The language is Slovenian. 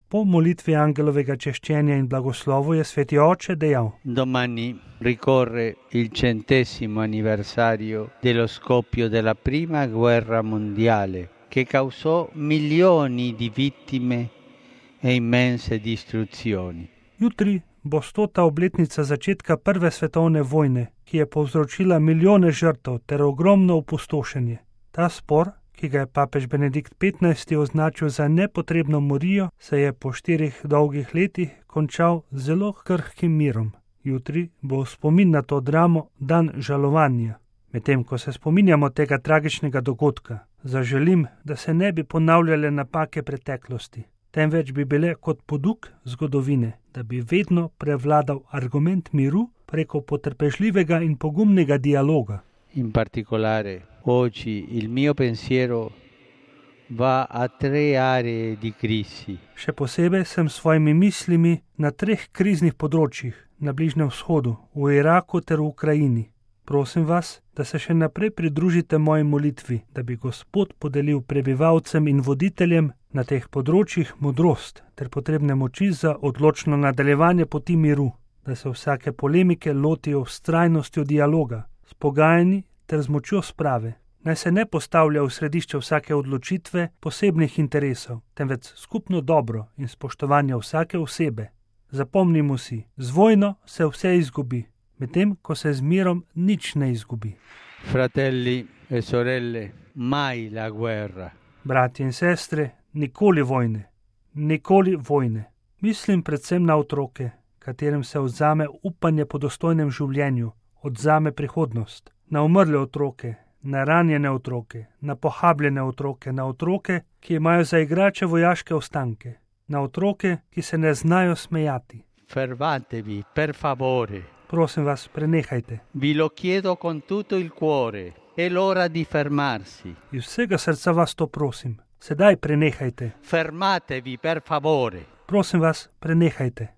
Po molitvi angelovega češčenja in blagoslovu je sveti oče dejal: Domani ricorre il 100° anniversario dello scoppio della prima guerra mondiale che causò milioni di vittime e immense distruzioni. Jutri bo 100. obletnica začetka prve svetovne vojne, ki je povzročila milijone žrtev ter ogromno opustošenje. Ta spor, ki ga je papež Benedikt XV. Označil za nepotrebno morijo, se je po 4 dolgih letih končal z zelo krhkim mirom. Jutri bo v spomin na to dramo dan žalovanja. Medtem ko se spominjamo tega tragičnega dogodka, zaželim, da se ne bi ponavljale napake preteklosti, temveč bi bile kot poduk zgodovine, da bi vedno prevladal argument miru preko potrpežljivega in pogumnega dialoga. In particolare, oggi il mio pensiero va a 3 aree di crisi. Še posebej sem s svojimi mislimi na 3 kriznih področjih, na Bližnjem vzhodu, v Iraku ter v Ukrajini. Prosim vas, da se še naprej pridružite moji molitvi, da bi Gospod podelil prebivalcem in voditeljem na teh področjih modrost ter potrebne moči za odločno nadaljevanje poti miru, da se vsake polemike lotijo s vztrajnostjo dialoga, s pogajanji ter z močjo sprave. Naj se ne postavlja v središče vsake odločitve posebnih interesov, temveč skupno dobro in spoštovanje vsake osebe. Zapomnimo si, z vojno se vse izgubi, medtem ko se z mirom nič ne izgubi. Fratelli e sorelle, mai la guerra. Bratje in sestre, nikoli vojne. Nikoli vojne. Mislim predvsem na otroke, katerim se vzame upanje po dostojnem življenju, odzame prihodnost. Na umrle otroke, na ranjene otroke, na pohabljene otroke, na otroke, ki imajo za igrače vojaške ostanke, na otroke, ki se ne znajo smejati. Fermatevi, per favore. Prosim vas, prenehajte. Vi lo chiedo con tutto il cuore. È l'ora di fermarsi. Iz vsega srca vas to prosim. Sedaj prenehajte. Fermatevi, per favore. Prosim vas, prenehajte.